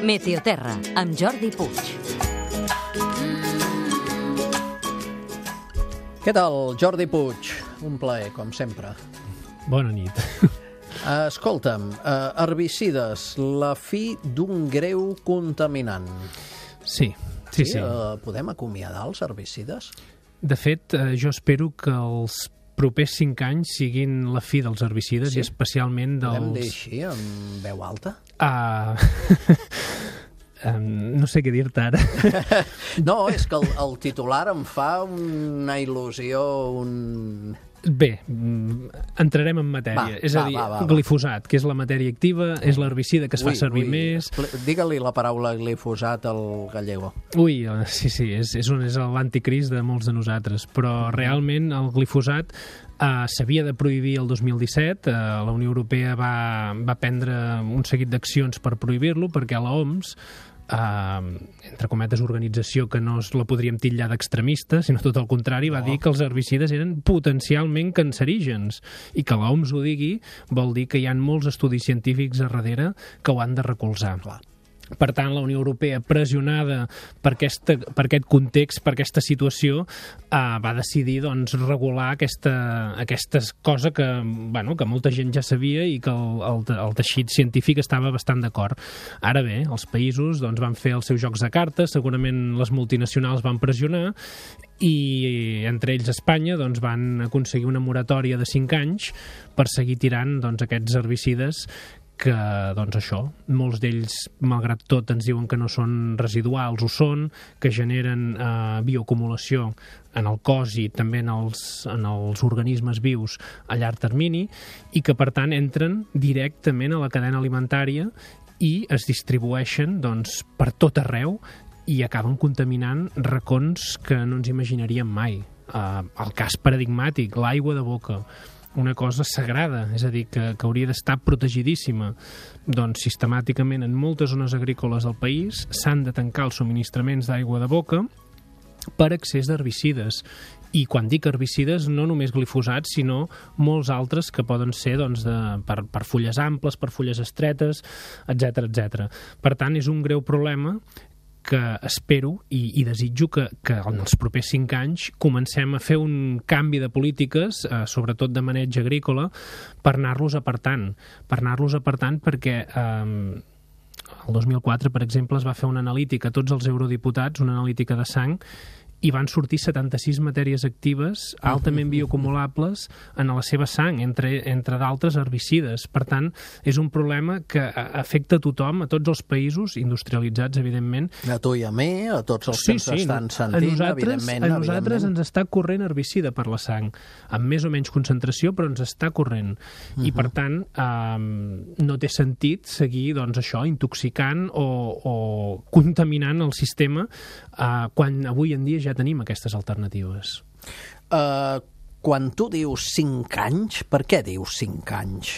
Meteoterra, amb Jordi Puig. Què tal, Jordi Puig? Un plaer, com sempre. Bona nit. Escolta'm, herbicides, la fi d'un greu contaminant. Sí. Podem acomiadar els herbicides? De fet, jo espero que els propers 5 anys siguin la fi dels herbicides, i especialment dels... Podem dir així, amb veu alta? No sé què dir-te ara. No, és que el titular em fa una il·lusió, Bé, entrarem en matèria. És a dir, glifosat, que és la matèria activa, és l'herbicida que es fa servir més... Digue-li la paraula glifosat al gallego. Sí, és l'anticrist de molts de nosaltres, però realment el glifosat s'havia de prohibir el 2017, la Unió Europea va prendre un seguit d'accions per prohibir-lo, perquè a l'OMS, entre cometes, organització que no la podríem titllar d'extremista, sinó tot el contrari, va dir que els herbicides eren potencialment cancerígens, i que l'OMS ho digui vol dir que hi ha molts estudis científics a darrere que ho han de recolzar. Per tant, la Unió Europea, pressionada per aquest context, per aquesta situació, va decidir regular aquesta cosa que molta gent ja sabia i que el teixit científic estava bastant d'acord. Ara bé, els països van fer els seus jocs de cartes, segurament les multinacionals van pressionar, i entre ells Espanya van aconseguir una moratòria de 5 anys per seguir tirant aquests herbicides que, molts d'ells, malgrat tot, ens diuen que no són residuals, ho són, que generen bioacumulació en el cos i també en els organismes vius a llarg termini, i que, per tant, entren directament a la cadena alimentària i es distribueixen per tot arreu i acaben contaminant racons que no ens imaginaríem mai. El cas paradigmàtic, l'aigua de boca, una cosa sagrada, és a dir, que hauria d'estar protegidíssima. Sistemàticament en moltes zones agrícoles del país s'han de tancar els subministraments d'aigua de boca per excés d'herbicides. I quan dic herbicides, no només glifosats, sinó molts altres que poden ser per fulles amples, per fulles estretes, etc. Per tant, és un greu problema que espero i desitjo que en els propers 5 anys comencem a fer un canvi de polítiques, sobretot de maneig agrícola, per anar-los apartant. Perquè el 2004, per exemple, es va fer una analítica a tots els eurodiputats, una analítica de sang, i van sortir 76 matèries actives altament bioacumulables en la seva sang, entre d'altres herbicides. Per tant, és un problema que afecta a tothom, a tots els països industrialitzats, evidentment. A tu i a mi, a tots els que ens estan sentint, evidentment. A nosaltres ens està corrent herbicida per la sang, amb més o menys concentració, però ens està corrent. I, per tant, no té sentit seguir, intoxicant o contaminant el sistema quan avui en dia ja tenim aquestes alternatives. Quan tu dius 5 anys, per què dius 5 anys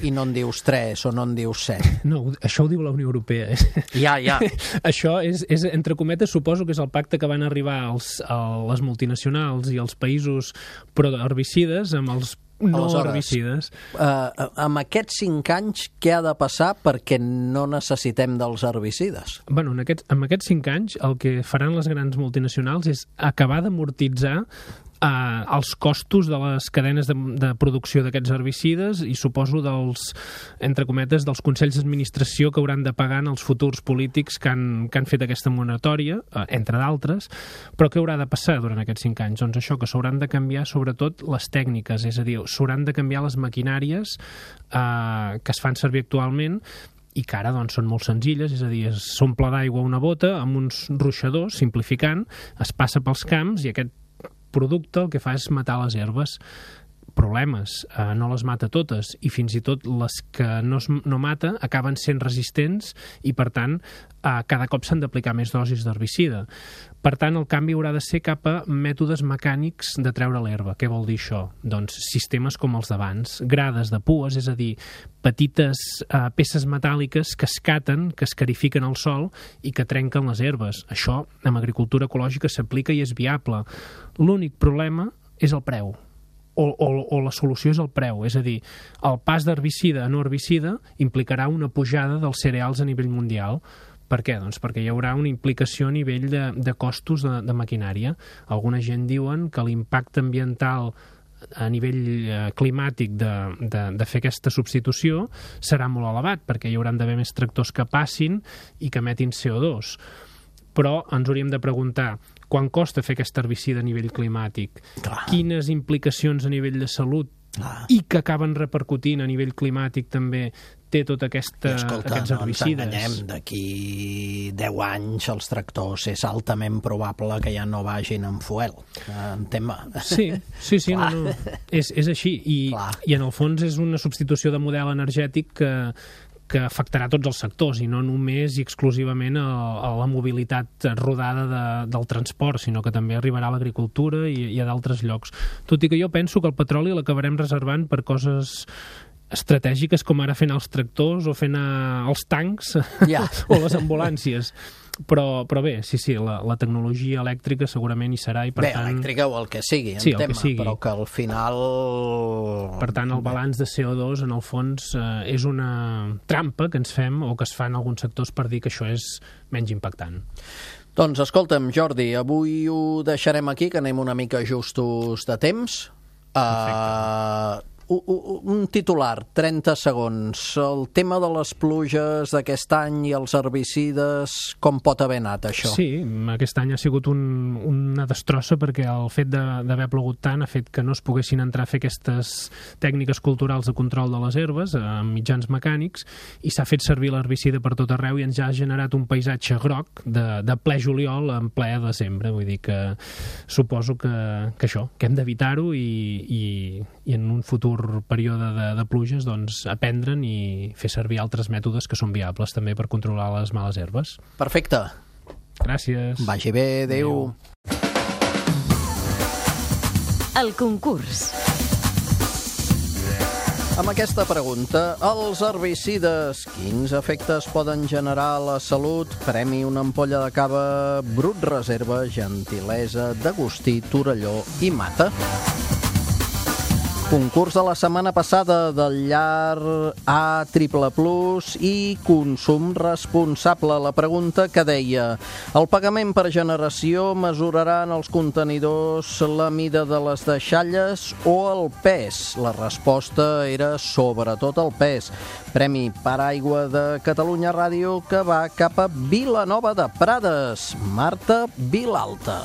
i no en dius 3 o no en dius 7? No, això ho diu la Unió Europea. Ja. Això és, entre cometes, suposo que és el pacte que van arribar les multinacionals i els països pro-herbicides amb els herbicides. Amb aquests 5 anys, què ha de passar perquè no necessitem dels herbicides? Bueno, amb aquests 5 anys, el que faran les grans multinacionals és acabar d'amortitzar els costos de les cadenes de producció d'aquests herbicides i suposo entre cometes, dels consells d'administració que hauran de pagar en els futurs polítics que han fet aquesta moratòria, entre d'altres. Però què haurà de passar durant aquests 5 anys? Doncs això, que s'hauran de canviar sobretot les tècniques, és a dir, s'hauran de canviar les maquinàries que es fan servir actualment i que ara són molt senzilles, és a dir, s'omple d'aigua una bota amb uns ruixadors, simplificant, es passa pels camps i aquest producte el que fa és matar les herbes. Problemes, no les mata totes i fins i tot les que no mata acaben sent resistents i per tant cada cop s'han d'aplicar més dosis d'herbicida. Per tant, el canvi haurà de ser cap a mètodes mecànics de treure l'herba. Què vol dir això? Doncs sistemes com els d'abans, grades de pues, és a dir, petites peces metàl·liques que escaten, que escarifiquen el sòl i que trenquen les herbes. Això, en agricultura ecològica, s'aplica i és viable. L'únic problema és el preu. o la solució és el preu, és a dir, el pas d'herbicida a no herbicida implicarà una pujada dels cereals a nivell mundial. Per què? Doncs perquè hi haurà una implicació a nivell de costos de maquinària. Alguna gent diuen que l'impacte ambiental a nivell climàtic de fer aquesta substitució serà molt elevat, perquè hi hauran d'haver més tractors que passin i que emetin CO2. Però ens hauríem de preguntar quant costa fer aquest herbicida a nivell climàtic, quines implicacions a nivell de salut i que acaben repercutint a nivell climàtic també té tot aquests herbicides. No ens enganyem, d'aquí 10 anys els tractors és altament probable que ja no vagin amb fuel, en tema. Sí, no. És així, i en el fons és una substitució de model energètic que afectarà tots els sectors i no només i exclusivament a la mobilitat rodada del transport, sinó que també arribarà a l'agricultura i a d'altres llocs. Tot i que jo penso que el petroli l'acabarem reservant per coses estratègiques com ara fent els tractors o fent els tancs o les ambulàncies. Però bé, sí, la tecnologia elèctrica segurament hi serà i per tant... elèctrica o el que sigui, però que al final... Per tant, el balanç de CO2 en el fons és una trampa que ens fem o que es fa en alguns sectors per dir que això és menys impactant. Doncs escolta'm, Jordi, avui ho deixarem aquí, que anem una mica justos de temps. Perfecte. Un titular, 30 segons. El tema de les pluges d'aquest any i els herbicides, com pot haver anat això? Sí, aquest any ha sigut una destrossa perquè el fet d'haver plogut tant ha fet que no es poguessin entrar a fer aquestes tècniques culturals de control de les herbes amb mitjans mecànics i s'ha fet servir l'herbicida per tot arreu i ens ha generat un paisatge groc de ple juliol en ple desembre. Vull dir que suposo que això, que hem d'evitar-ho i en un futur període de pluges, doncs, aprendre'n i fer servir altres mètodes que són viables també per controlar les males herbes. Perfecte. Gràcies. Vagi bé, adéu. El concurs. Amb aquesta pregunta, els herbicides, quins efectes poden generar a la salut? Premi una ampolla de cava Brut Reserva, gentilesa d'Agustí, Torelló i Mata. Concurs de la setmana passada del llar A++ i consum responsable. La pregunta que deia: el pagament per generació mesurarà en els contenidors la mida de les deixalles o el pes? La resposta era sobretot el pes. Premi Paraigua de Catalunya Ràdio que va cap a Vilanova de Prades. Marta Vilalta.